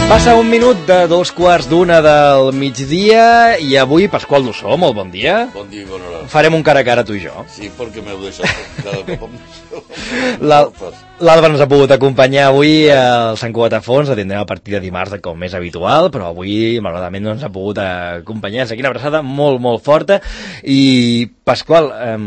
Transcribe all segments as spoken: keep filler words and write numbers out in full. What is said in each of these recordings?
Passa un minut de dos quarts d'una del migdia i avui Pasqual Dussó, molt bon dia. Bon dia i bona hora. Farem un cara a cara tu i jo. Sí, perquè m'heu deixat cada cop amb L'Alba ens ha pogut acompanyar avui al Sant Cugat a Fons, la tindrem a partir de dimarts com és habitual, però avui malauradament no ens ha pogut acompanyar. Aquí una abraçada molt, molt forta. I Pasqual, eh,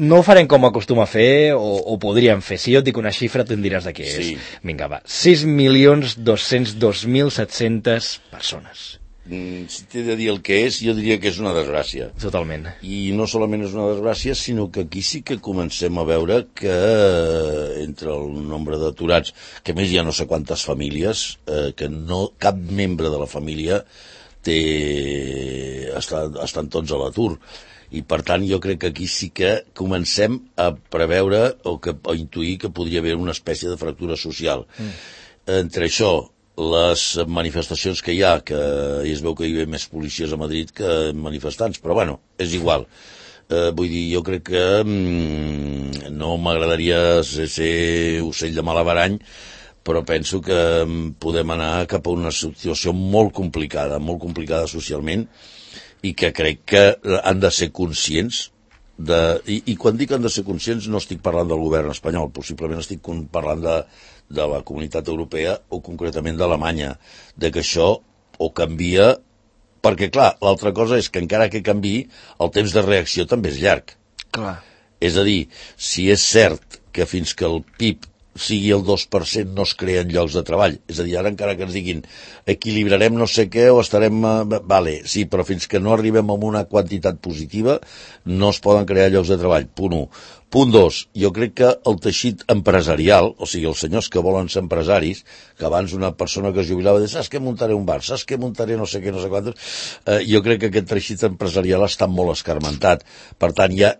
no ho farem com acostuma a fer, o, o podríem fer. Si jo et dic una xifra, tu em diràs de què és. Sí. Vinga, va. sis milions dos-cents dos mil set-cents persones. Si t'he de dir el que és, jo diria que és una desgràcia. Totalment. I no solament és una desgràcia, sinó que aquí sí que comencem a veure que entre el nombre d'aturats, que a més hi ha no sé quantes famílies, eh, que no, cap membre de la família té, està, estan tots a l'atur. I per tant jo crec que aquí sí que comencem a preveure o, que, o intuir que podria haver una espècie de fractura social. Mm. Entre això, les manifestacions que hi ha, que es veu que hi ha més policies a Madrid que manifestants, però bueno, és igual. Eh, vull dir, jo crec que mm, no m'agradaria ser, ser ocell de malabarany, però penso que podem anar cap a una situació molt complicada, molt complicada socialment, i que crec que han de ser conscients de... I, i quan dic han de ser conscients no estic parlant del govern espanyol, possiblement estic parlant de, de la comunitat europea o concretament d'Alemanya, de que això o canvia, perquè clar, l'altra cosa és que encara que canvi, el temps de reacció també és llarg. Clar. És a dir, si és cert que fins que el P I B sigui el dos per cent no es creen llocs de treball. És a dir, ara encara que ens diguin equilibrarem no sé què o estarem... Uh, vale, sí, però fins que no arribem a una quantitat positiva no es poden crear llocs de treball. Punt u. Punt dos, jo crec que el teixit empresarial, o sigui, els senyors que volen ser empresaris, que abans una persona que es jubilava deia, saps que muntaré un bar, saps que muntaré no sé què, no sé quantos, eh, jo crec que aquest teixit empresarial està molt escarmentat. Per tant, ja,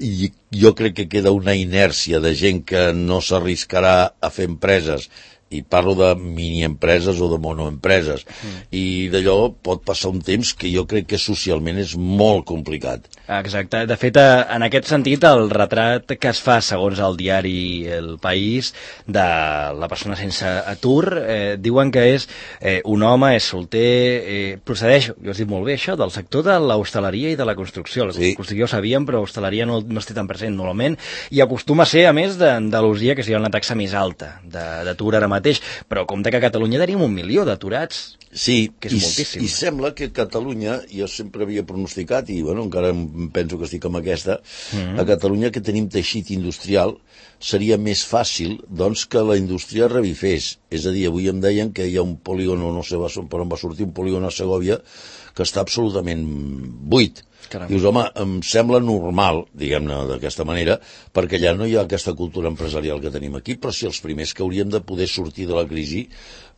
jo crec que queda una inèrcia de gent que no s'arriscarà a fer empreses, i parlo de miniempreses o de monoempreses, mm. i d'allò pot passar un temps que jo crec que socialment és molt complicat. Exacte. De fet, en aquest sentit, el retrat que es fa, segons el diari El País, de la persona sense atur, eh, diuen que és eh, un home, és solter, eh, procedeix, jo has dit molt bé això, del sector de l'hostaleria i de la construcció. La sí. construcció ho sabíem, però l'hostaleria no, no es té tan present normalment, i acostuma a ser, a més, d'Andalusia, que seria una taxa més alta d'atur ara mateix, però compte que a Catalunya tenim un milió d'aturats. Sí, que és i, moltíssim. I sembla que Catalunya, jo sempre havia pronosticat, i bueno, encara penso que estic amb aquesta, mm-hmm. a Catalunya que tenim teixit industrial, seria més fàcil doncs, que la indústria revifés. És a dir, avui em deien que hi ha un polígon, no sé per on va sortir, un polígon a Segòvia, que està absolutament buit. Caram. Dius, home, em sembla normal, diguem-ne d'aquesta manera, perquè allà no hi ha aquesta cultura empresarial que tenim aquí, però si els primers que hauríem de poder sortir de la crisi,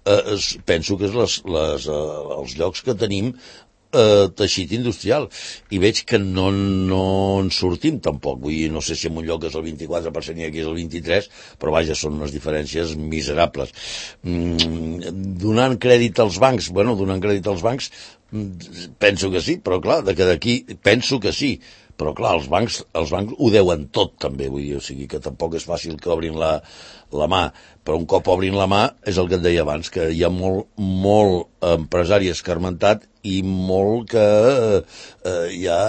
eh, penso que és les, les, eh, els llocs que tenim eh, teixit industrial, i veig que no, no en sortim tampoc. Vull dir, no sé si en un lloc és el vint-i-quatre per cent i aquí és el vint-i-tres per cent, però vaja, són unes diferències miserables. Mm, donant crèdit als bancs, bueno, donant crèdit als bancs, penso que sí, però clar, de que d'aquí penso que sí, però clar, els bancs, els bancs ho deuen tot també, vull dir, o sigui que tampoc és fàcil que obrin la, la mà, però un cop obrin la mà és el que et deia abans, que hi ha molt, molt empresari escarmentat i molt que eh, ja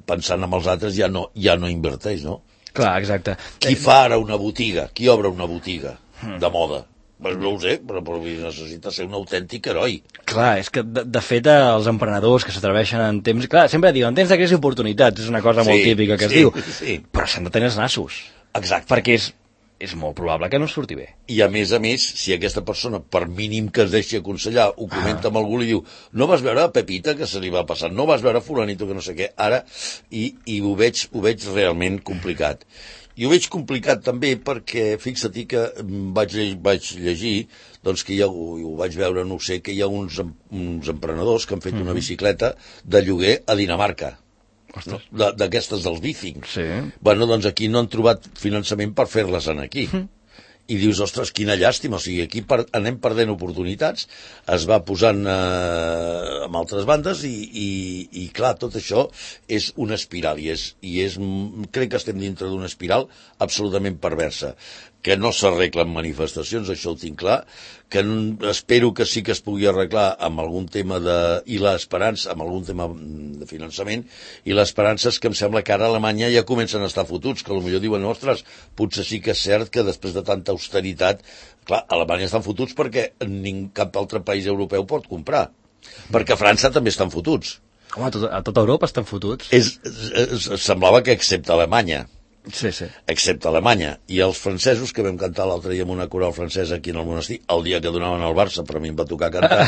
pensant en els altres ja no, ja no inverteix, no? Clar, exacte. Qui fa ara una botiga? Qui obre una botiga de moda? Pues no ho sé, però, però necessita ser un autèntic heroi. Clar, és que de, de fet els emprenedors que s'atreveixen en temps... Clar, sempre diuen, en temps de crisi oportunitats, és una cosa sí, molt típica que es sí, diu, sí. Però s'han de tenir els nassos. Exacte. Perquè és, és molt probable que no surti bé. I a més a més, si aquesta persona, per mínim que es deixi aconsellar, ho comenta ah. amb algú i diu, no vas veure a Pepita que se li va passar, no vas veure a fulanito que no sé què, ara, i, i ho, veig, ho veig realment complicat. I ho veig complicat també perquè, fixa-t'hi que vaig, vaig llegir, doncs que hi ha, ho vaig veure, no sé, que hi ha uns, uns emprenedors que han fet mm-hmm. una bicicleta de lloguer a Dinamarca. D'aquestes dels bicing. Sí. Bueno, doncs aquí no han trobat finançament per fer-les en aquí. Mm. I dius, ostres, quina llàstima, o sigui, aquí per, anem perdent oportunitats, es va posant eh, amb altres bandes i, i, i clar, tot això és una espiral i, és, i és, crec que estem dintre d'una espiral absolutament perversa. que no s'arreglen manifestacions, això ho tinc clar, que espero que sí que es pugui arreglar amb algun tema de... i l'esperança, amb algun tema de finançament, i l'esperança és que em sembla que ara a Alemanya ja comencen a estar fotuts, que potser diuen, ostres, potser sí que és cert que després de tanta austeritat, clar, a Alemanya estan fotuts perquè ning, cap altre país europeu pot comprar, perquè a França també estan fotuts. Home, a, tot, a tota Europa estan fotuts. És, és, semblava que excepte Alemanya, Sí, sí. excepte Alemanya, i els francesos, que vam cantar l'altre dia amb una coral francesa aquí en el monestir, el dia que donaven al Barça, però a mi em va tocar cantar,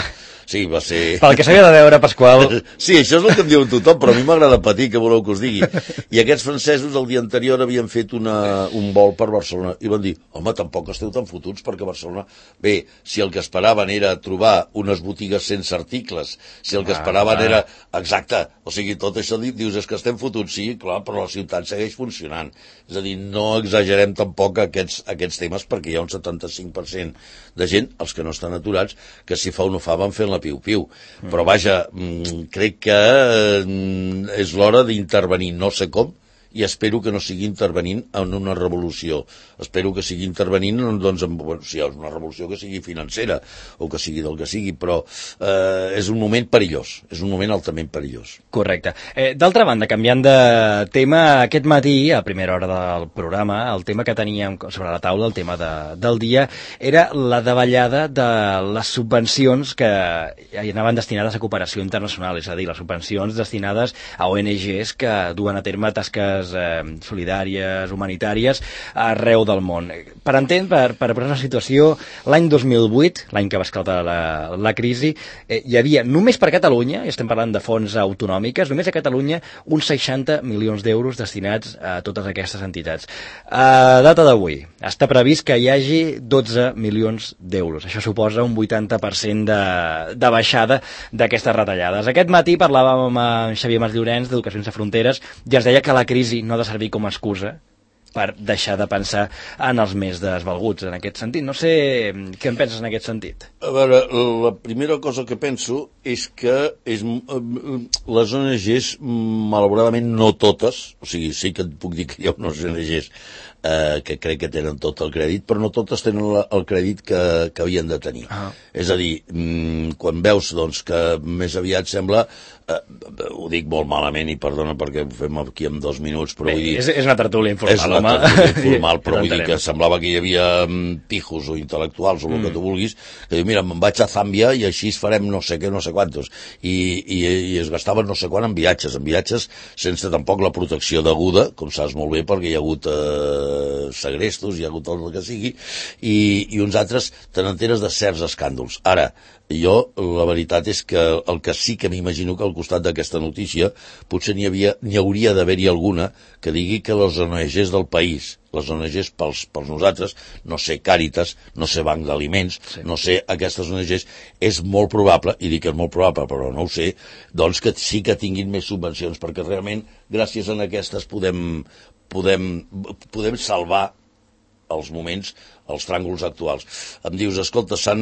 sí, va ser... Pel que s'havia de veure, Pasqual. Sí, això és el que em diu tothom, però a mi m'agrada patir, que voleu que us digui. I aquests francesos el dia anterior havien fet una, un vol per Barcelona, i van dir, home, tampoc esteu tan fotuts, perquè Barcelona... Bé, si el que esperaven era trobar unes botigues sense articles, si el que esperaven era... Exacte, o sigui, tot això dius, és que estem fotuts, sí, clar, però la ciutat segueix funcionant. És a dir, no exagerem tampoc aquests, aquests temes, perquè hi ha un setanta-cinc per cent de gent, els que no estan aturats, que si fa o no fa van fent la piu-piu. Mm. Però vaja, crec que és l'hora d'intervenir, no sé com, i espero que no sigui intervenint en una revolució. Espero que sigui intervenint, doncs, en, bueno, si hi ha una revolució que sigui financera, o que sigui del que sigui, però eh, és un moment perillós, és un moment altament perillós. Correcte. Eh, D'altra banda, canviant de tema, aquest matí, a primera hora del programa, el tema que teníem sobre la taula, el tema de, del dia, era la davallada de les subvencions que anaven destinades a cooperació internacional, és a dir, les subvencions destinades a O N Ges que duen a terme tasques eh, solidàries, humanitàries, arreu del món. Per entendre, per, per posar una situació, l'any dos mil vuit, l'any que va esclatar la, la crisi, eh, hi havia, només per Catalunya, i estem parlant de fons autonòmiques, només a Catalunya, uns seixanta milions d'euros destinats a totes aquestes entitats. A data d'avui, està previst que hi hagi dotze milions d'euros. Això suposa un vuitanta per cent de, de baixada d'aquestes retallades. Aquest matí parlàvem amb Xavier Mas Llorenç, d'Educació Sense Fronteres, i ens deia que la crisi no ha de servir com a excusa per deixar de pensar en els més desvalguts, en aquest sentit. No sé què en penses en aquest sentit. A veure, la primera cosa que penso és que és, les O N Ges, malauradament no totes, o sigui, sí que et puc dir que hi ha unes O N Ges eh, que crec que tenen tot el crèdit, però no totes tenen la, el crèdit que, que havien de tenir. Ah. És a dir, quan veus doncs, que més aviat sembla... Eh, ho dic molt malament i perdona perquè ho fem aquí en dos minuts, però Bé, vull dir... És, és una tertúlia informal, és una home. tertúlia informal, però vull dir que semblava que hi havia pijos o intel·lectuals o el mm. que tu vulguis, que diu, mira, me'n vaig a Zàmbia i així farem no sé què, no sé quantos. I, i, i es gastaven no sé quant en viatges, en viatges sense tampoc la protecció deguda, com saps molt bé, perquè hi ha hagut eh, segrestos, hi ha hagut tot el que sigui, i, i uns altres te n'enteres de certs escàndols. Ara, jo, la veritat és que el que sí que m'imagino que al costat d'aquesta notícia potser n'hi havia, n'hi hauria d'haver-hi alguna que digui que les O N Ges del país, les O N Ges pels, pels nosaltres, no sé, Càritas, no sé, Banc d'Aliments, sí. no sé, aquestes O N Ges, és molt probable, i dic que és molt probable, però no ho sé, doncs que sí que tinguin més subvencions, perquè realment, gràcies a aquestes, podem, podem, podem salvar els moments, els tràngols actuals. Em dius, escolta, s'han...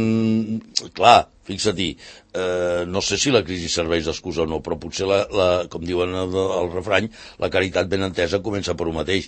Clar, fixa-t'hi, eh, no sé si la crisi serveix d'excusa o no, però potser, la, la, com diuen el, el refrany, la caritat ben entesa comença per un mateix.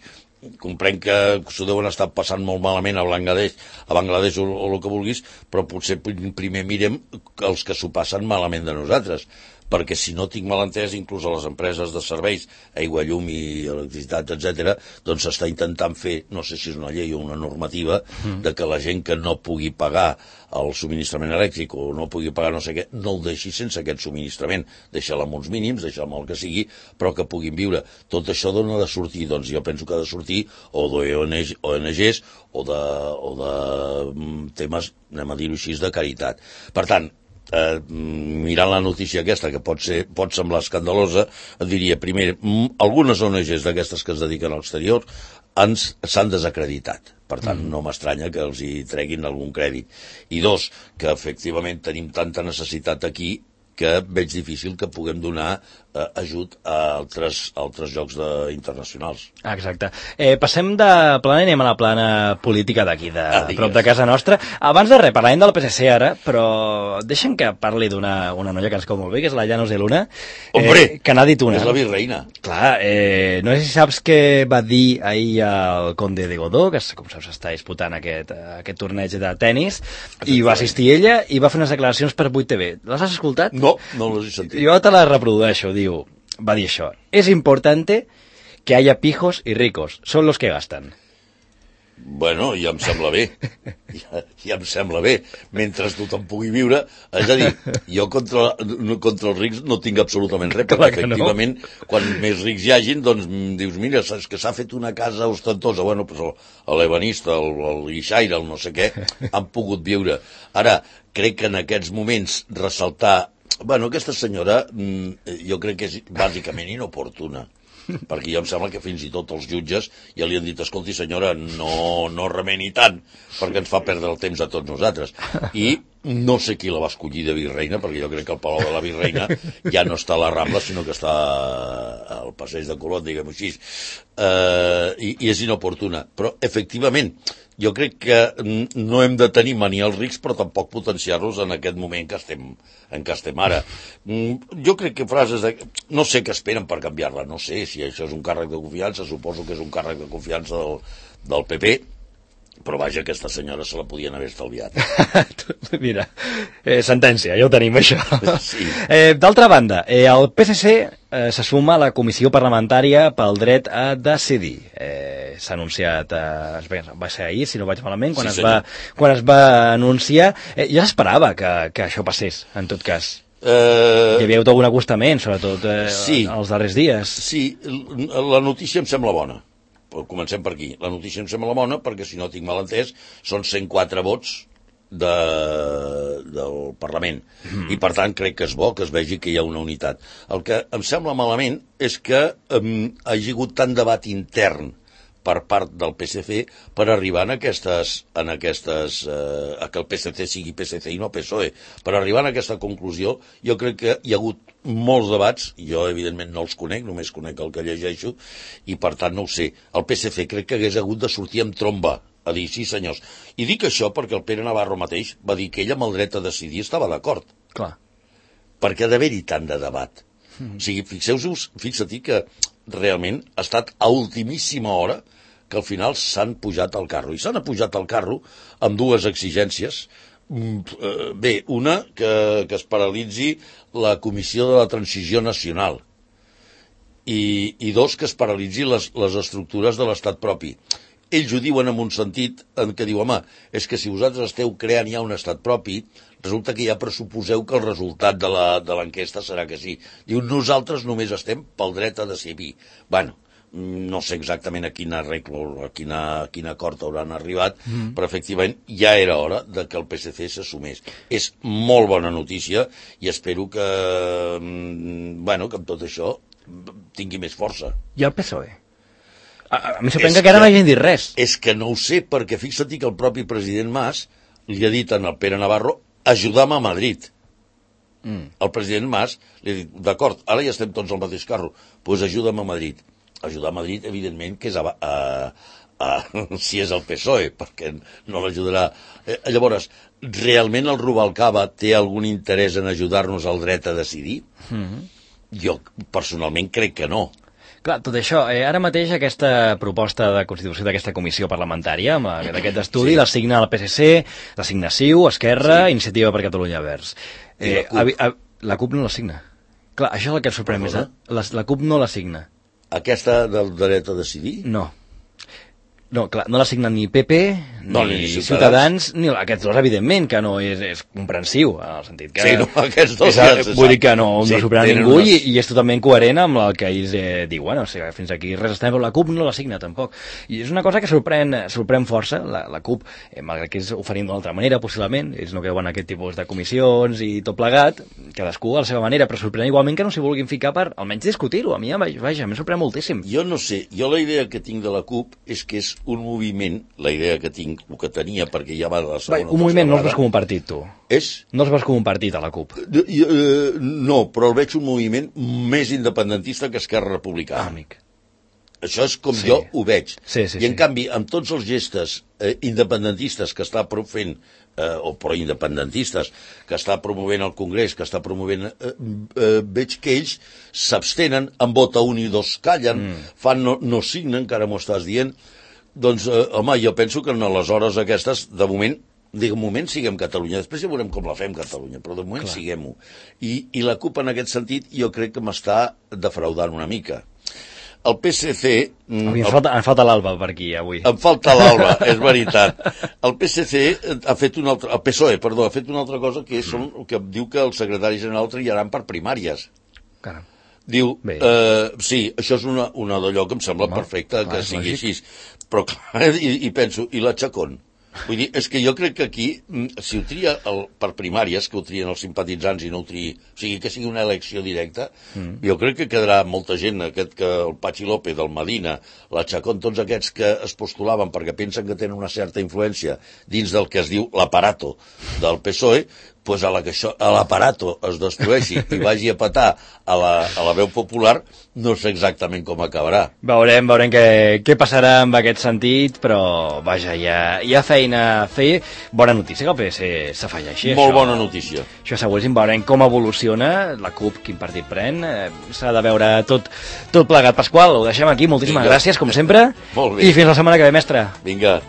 Comprenc que s'ho deuen estar passant molt malament a Bangladesh, a Bangladesh o, o el que vulguis, però potser primer mirem els que s'ho passen malament de nosaltres, perquè si no tinc mal entès, inclús a les empreses de serveis, aigua, llum i electricitat, etcètera, doncs s'està intentant fer, no sé si és una llei o una normativa, mm. de que la gent que no pugui pagar el subministrament elèctric o no pugui pagar no sé què, no el deixi sense aquest subministrament, deixa-la amb uns mínims, deixa-la amb el que sigui, però que puguin viure. Tot això d'on ha de sortir? Doncs jo penso que ha de sortir o d'O N Ges o de, o de temes, anem a dir-ho així, de caritat. Per tant, Eh, mirant la notícia aquesta, que pot ser, pot semblar escandalosa, et diria, primer, algunes O N Ges d'aquestes que es dediquen a l'exterior s'han desacreditat. Per tant, mm. no m'estranya que els hi treguin algun crèdit. I dos, que efectivament tenim tanta necessitat aquí que veig difícil que puguem donar eh, ajut a altres, altres jocs de, internacionals. Exacte. Eh, passem de plana i anem a la plana política d'aquí, de Ah, prop de casa nostra. Abans de res, parlem del P S C ara, però deixa'm que parli d'una una noia que ens cau molt bé, que és la Llanos de Luna. Hombre, eh, que n'ha dit una. és la virreina. Clar, eh, no sé si saps què va dir ahir el Conde de Godó, que com saps està disputant aquest, aquest torneig de tennis, i va assistir ella i va fer unes declaracions per vuit T V. Les has escoltat? No, no les he sentit. Jo te les reprodueixo, diu, va dir això. Es importante que haya pijos y ricos, son los que gastan. Bueno, ja em sembla bé, ja, ja em sembla bé, mentre tothom pugui viure, és a dir, jo contra, contra els rics no tinc absolutament res, perquè efectivament, no. Quan més rics hi hagin, doncs dius, mira, saps que s'ha fet una casa ostentosa, bueno, doncs l'ebanista, el, el guixaire, el no sé què, han pogut viure. Ara, crec que en aquests moments ressaltar, bueno, aquesta senyora, jo crec que és bàsicament inoportuna, perquè jo em sembla que fins i tot els jutges ja li han dit, escolti senyora, no, no remeni tant, perquè ens fa perdre el temps a tots nosaltres. I no sé qui la va escollir de virreina, perquè jo crec que el Palau de la Virreina ja no està a la Rambla, sinó que està al Passeig de Colón, diguem-ho així. Uh, i, I és inoportuna. Però, efectivament, jo crec que no hem de tenir mania als rics, però tampoc potenciar-los en aquest moment que estem, en què estem ara. Jo crec que frases de... No sé què esperen per canviar-la, no sé si això és un càrrec de confiança, suposo que és un càrrec de confiança del, del P P, però vaja, aquesta senyora se la podien haver estalviat. Mira, eh, sentència, ja ho tenim, això. Sí. Eh, D'altra banda, eh, el P S C eh, se suma a la Comissió Parlamentària pel Dret a Decidir. Eh, S'ha anunciat, eh, va ser ahir, si no vaig malament, quan, sí, es, va, quan es va anunciar. Eh, ja s'esperava que, que això passés, en tot cas. Uh, Hi havia hagut algun acostament, sobretot eh, sí, els darrers dies. Sí, la notícia em sembla bona. Comencem per aquí. La notícia em sembla bona perquè, si no tinc mal entès, són cent quatre vots de, del Parlament. Mm. I, per tant, crec que és bo que es vegi que hi ha una unitat. El que em sembla malament és que um, hi hagi hagut tant debat intern per part del P S C per arribar en aquestes, en aquestes eh, a que el P S C sigui P S C i no P S O E. Per arribar a aquesta conclusió, jo crec que hi ha hagut molts debats, jo evidentment no els conec, només conec el que llegeixo, i per tant no ho sé. El P S C crec que hagués hagut de sortir amb tromba, a dir, sí senyors. I dic això perquè el Pere Navarro mateix va dir que ell amb el dret a decidir estava d'acord. Clar. Perquè ha d'haver-hi tant de debat. Mm. O sigui, fixeu-vos, fixa-t'hi que realment ha estat a ultimíssima hora que al final s'han pujat al carro. I s'han pujat al carro amb dues exigències. Bé, una, que, que es paralitzi la Comissió de la Transició Nacional. I, i dos, que es paralitzi les, les estructures de l'estat propi. Ells ho diuen en un sentit en què diu, home, és que si vosaltres esteu creant ja un estat propi, resulta que ja pressuposeu que el resultat de l'enquesta serà que sí. Diu, nosaltres només estem pel dret a decidir. Bueno, no sé exactament a quin arreglo, a quina, a quin acord hauran arribat, mm. però efectivament ja era hora de que el P S C s'assumés. És molt bona notícia i espero que, bueno, que amb tot això tingui més força. I el P S O E? A, a mi sorprèn que encara no hagin dit res. És que no ho sé, perquè fixa't que el propi president Mas li ha dit al Pere Navarro ajuda'm a Madrid. Mm. El president Mas li ha dit, d'acord, ara ja estem tots al mateix carro, doncs pues ajuda'm a Madrid. Ajudar a Madrid, evidentment, que és a, a, a, si és el P S O E, perquè no l'ajudarà. Eh, llavors, realment el Rubalcaba té algun interès en ajudar-nos al dret a decidir? Mm-hmm. Jo, personalment, crec que no. Clar, tot això, eh, ara mateix aquesta proposta de constitució d'aquesta comissió parlamentària, amb aquest estudi, sí. L'assigna el P S C, l'assigna C I U, Esquerra, sí. Iniciativa per Catalunya Verds. Eh, la, CUP. A, a, la CUP no l'assigna. Clar, això és el que et sorprèn més, eh? La, la CUP no l'assigna. Aquesta del dret a decidir? No. No, clar, no l'assignen ni P P, no, ni, ni Ciutadans, Ciutadans, ni aquests dos, evidentment, que no és, és comprensiu, en el sentit que... Sí, no, aquests dos... És, ja vull dir que no, no sí, sorprèn ningú unes... i, i és totalment coherent amb el que ells eh, diuen, o sigui, fins aquí res estem, però la CUP no l'assigna, tampoc. I és una cosa que sorprèn, sorprèn força, la, la CUP, eh, malgrat que és oferint d'una altra manera, possiblement, ells no creuen aquest tipus de comissions i tot plegat, cadascú a la seva manera, però sorprèn igualment que no s'hi vulguin ficar per almenys discutir-ho. A mi, vaja, em sorprèn moltíssim. Jo no sé, jo la idea que tinc de la CUP és que és un moviment, la idea que tinc, el que tenia, perquè ja va de la segona... Va, un moviment no els veus com un partit, tu? És? No els veus com un partit, a la CUP? Uh, uh, no, però el veig un moviment més independentista que Esquerra Republicana. Ah, amic. Això és com Sí. jo ho veig. Sí, sí, I en sí. canvi, amb tots els gestes eh, independentistes que està fent, eh, o pro-independentistes, que està promovent el Congrés, que està promovent... Eh, eh, veig que ells s'abstenen, en vota un i dos callen, mm. fan no, no signen, que ara m'ho estàs dient. Doncs, eh, home, jo penso que en les hores aquestes, de moment, de moment siguem Catalunya, després ja veurem com la fem Catalunya, però de moment Clar. Siguem-ho. I, I la CUP en aquest sentit jo crec que m'està defraudant una mica. El P S C... Mm, em, falta, em falta l'Alba per aquí, avui. Em falta l'Alba, és veritat. El P S C ha fet una altra... El P S O E, perdó, ha fet una altra cosa que, són, que diu que el secretari general triaran per primàries. Caram. Diu, eh, sí, això és una, una d'allò que em sembla Home, perfecte clar, que sigui així. Però clar, i, i penso, i la Chacón? Vull dir, és que jo crec que aquí, si ho tria el, per primàries, que ho trien els simpatitzants i no ho triï, o sigui, que sigui una elecció directa, mm. jo crec que quedarà molta gent, aquest que el Pachi López, el Medina, la Chacón, tots aquests que es postulaven perquè pensen que tenen una certa influència dins del que es diu l'aparato del P S O E, pues a la que això, a l'aparato es destrueixi i vagi a petar a la, a la veu popular, no sé exactament com acabarà. Veurem, veurem què, què passarà en aquest sentit, però vaja, hi ha, hi ha feina a fer. Bona notícia que el P S s'afegeixi. Molt això, bona notícia. Això seguríssim, veurem com evoluciona la CUP, quin partit pren. Eh, S'ha de veure tot, tot plegat. Pasqual, ho deixem aquí. Moltíssimes Vinga. gràcies, com sempre. Molt bé. I fins la setmana que ve, mestre. Vinga.